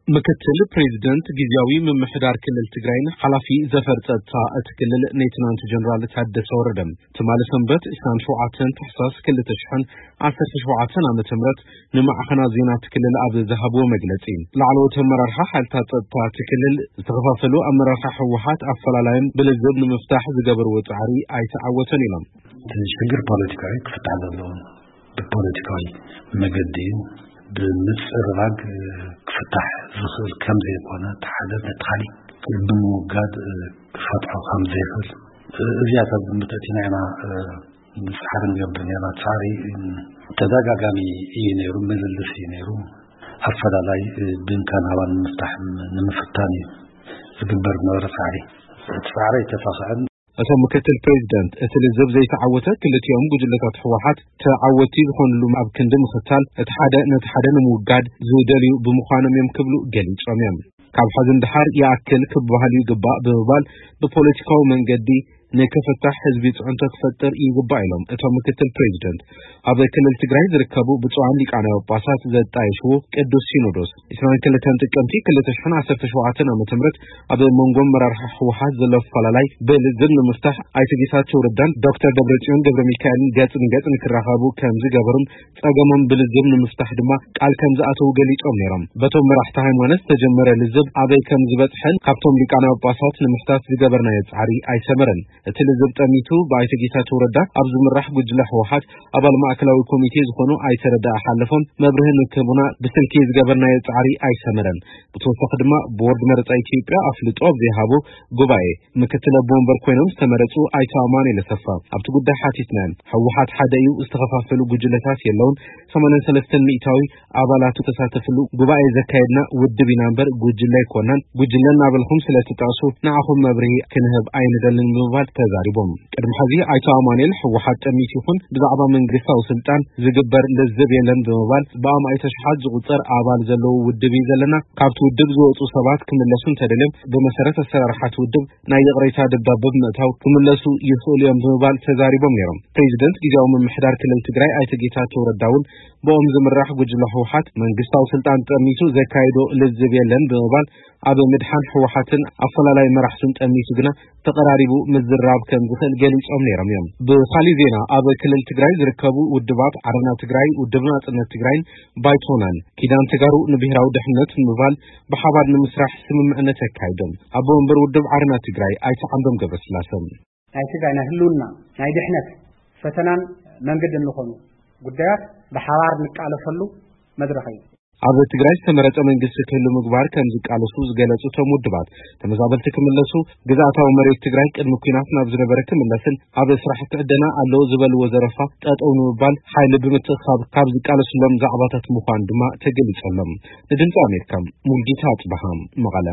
ምክትል ፕሬዚደንት ግዝያዊ ምምሕዳር ክልል ትግራይን ሓላፊ ዘፈር ጸጥታ እቲ ክልል ሌተናንት ጀነራል ታደሰ ወረደ፣ ትማሊ ሰንበት ዕስራን ሸውዓተን ታሕሳስ ክልተ ሽሕን ዓሰርተ ሸውዓተን ዓመተ ምህረት ንማዕኸናት ዜና እቲ ክልል ኣብ ዝሃብዎ መግለጺ፣ ላዕለዎት ኣመራርሓ ሓይልታት ጸጥታ እቲ ክልል ዝተኸፋፈሉ ኣመራርሓ ህወሓት ኣፈላላዮም ብልዝብ ንምፍታሕ ዝገበርዎ ጻዕሪ ኣይተዓወተን ኢሎም። እቲ ሽግር ፖለቲካዊ ክፍታሕ ዘለዎ ብፖለቲካዊ መገዲ እዩ። ብምጽርራግ ክፍታሕ ዝኽእል ከም ዘይኮነ፣ እቲ ሓደ ነቲ ካሊእ ብምውጋድ ክፈትሖ ከም ዘይኽእል፣ እዚኣ ካብ ግምት ኣእቲና ኢና ጻዕሪ ንገብር ነርና። ጻዕሪ ተደጋጋሚ እዩ ነይሩ፣ ምልልስ እዩ ነይሩ። ኣፈላላይ ብንካ ናባን ንምፍታሕ ንምፍታን እዩ ዝግበር ዝነበረ ጻዕሪ። እቲ ጻዕሪ ኣይተሳኽዐን። እቶም ምክትል ፕሬዚደንት፣ እቲ ልዝብ ዘይተዓወተ ክልቲኦም ጉጅለታት ህወሓት ተዓወቲ ዝኾንሉ ኣብ ክንዲ ምኽታል፣ እቲ ሓደ ነቲ ሓደ ንምውጋድ ዝደልዩ ብምዃኖም እዮም ክብሉ ገሊጾም እዮም። ካብ ሕዚ ንደሓር ይኣክል ክበሃል ይግባእ ብምባል፣ ብፖለቲካዊ መንገዲ ንክፍታሕ ህዝቢ ጽዕንቶ ክፈጥር ይግባእ ኢሎም እቶም ምክትል ፕሬዚደንት። ኣብ ክልል ትግራይ ዝርከቡ ብፁዓን ሊቃነ ጳጳሳት ዘጣየሽዎ ቅዱስ ሲኖዶስ፣ ዕስራን ክልተን ጥቅምቲ ክልተ ሽሕን ዓሰርተ ሸውዓተን ዓመተ ምህረት ኣብ መንጎ ኣመራርሓ ህወሓት ዘሎ ኣፈላላይ ብልዝብ ንምፍታሕ ኣይተ ጌታቸው ረዳን ዶክተር ደብረጽዮን ገብረ ሚካኤልን ገጽ ንገጽ ንክራኸቡ ከም ዝገበሩን ጸገሞም ብልዝብ ንምፍታሕ ድማ ቃል ከም ዝኣተዉ ገሊጾም ነይሮም። በቶም መራሕቲ ሃይማኖት ዝተጀመረ ልዝብ ኣበይ ከም ዝበጽሐን ካብቶም ሊቃነ ጳጳሳት ንምሕታት ዝገበርናዮ ጻዕሪ ኣይሰመረን። እቲ ልዝብ ጠሚቱ ብኣይተ ጌታቸው ረዳ ኣብ ዝምራሕ ጉጅለ ህወሓት ኣባል ማእከላዊ ኮሚቴ ዝኾኑ ኣይተ ረዳ ሓለፎም መብርሂ ንክህቡና ብስልኪ ዝገበርናዮ ጻዕሪ ኣይሰመረን። ብተወሳኺ ድማ ቦርድ መረጻ ኢትዮጵያ ኣፍልጦ ኣብ ዘይሃቦ ጉባኤ ምክትል ኣቦ ወንበር ኮይኖም ዝተመረጹ ኣይተ ኣማኑኤል ኣሰፋ ኣብቲ ጉዳይ ሓቲትናዮም። ህወሓት ሓደ እዩ፣ ዝተኸፋፈሉ ጉጅለታት የለውን። ሰማንያን ሰለስተን ሚእታዊ ኣባላቱ ተሳተፍሉ ጉባኤ ዘካየድና ውድብ ኢና እምበር ጉጅለ ኣይኮናን። ጉጅለ እናበልኩም ስለ ትጠቕሱ ንዓኹም መብርሂ ክንህብ ኣይንደልን ብምባል ተዛሪቦም። ቅድሚ ሕዚ ኣይተ ኣማኑኤል ህወሓት ጠሚቱ ይኹን ብዛዕባ መንግስታዊ ስልጣን ዝግበር ልዝብ የለን ብምባል ብኣማኢት ኣሽሓት ዝቑጸር ኣባል ዘለዎ ውድብ እዩ ዘለና። ካብቲ ውድብ ዝወጹ ሰባት ክምለሱ እንተደልዮም ብመሰረት ኣሰራርሓ እቲ ውድብ ናይ ይቕሬታ ደብዳበ ብምእታው ክምለሱ ይኽእሉ እዮም ብምባል ተዛሪቦም ነይሮም። ፕሬዚደንት ግዝያዊ ምምሕዳር ክልል ትግራይ ኣይተ ጌታቸው ረዳ እውን ብኦም ዝምራሕ ጉጅለ ህወሓት መንግስታዊ ስልጣን ጠሚቱ ዘካይዶ ልዝብ የለን ብምባል ኣብ ምድሓን ህወሓትን ኣፈላላይ መራሕቱን ጠሚቱ ግና ተቐራሪቡ ምዝራብ ከም ዝኽእል ገሊጾም ነይሮም እዮም። ብኻሊእ ዜና ኣብ ክልል ትግራይ ዝርከቡ ውድባት ዓረና ትግራይ፣ ውድብ ናጽነት ትግራይን ባይቶናን ኪዳን ተጋሩ ንብሔራዊ ድሕነት ንምባል ብሓባር ንምስራሕ ስምምዕነት ኣካይዶም። ኣቦ ወንበር ውድብ ዓረና ትግራይ ኣይተ ዓንዶም ገብረስላሰ ናይ ትግራይ ናይ ህልውና ናይ ድሕነት ፈተናን መንገድን ዝኾኑ ጉዳያት ብሓባር ንቃለሰሉ መድረኽ እዩ። ኣብ ትግራይ ዝተመረጸ መንግስቲ ክህሉ ምግባር ከም ዝቃለሱ ዝገለጹ እቶም ውድባት፣ ተመዛበልቲ ክምለሱ፣ ግዝኣታዊ መሬት ትግራይ ቅድሚ ኲናት ናብ ዝነበረ ክምለስን ኣብ ስራሕቲ ዕደና ኣሎ ዝበልዎ ዘረፋ ጠጠው ንምባል ሓይሊ ብምትእኻብ ካብ ዝቃለሱሎም ዛዕባታት ምዃኑ ድማ ተገሊጹ ኣሎ። ንድምፂ ኣሜሪካ ሙልጌታ ኣጽበሃ መቐለ።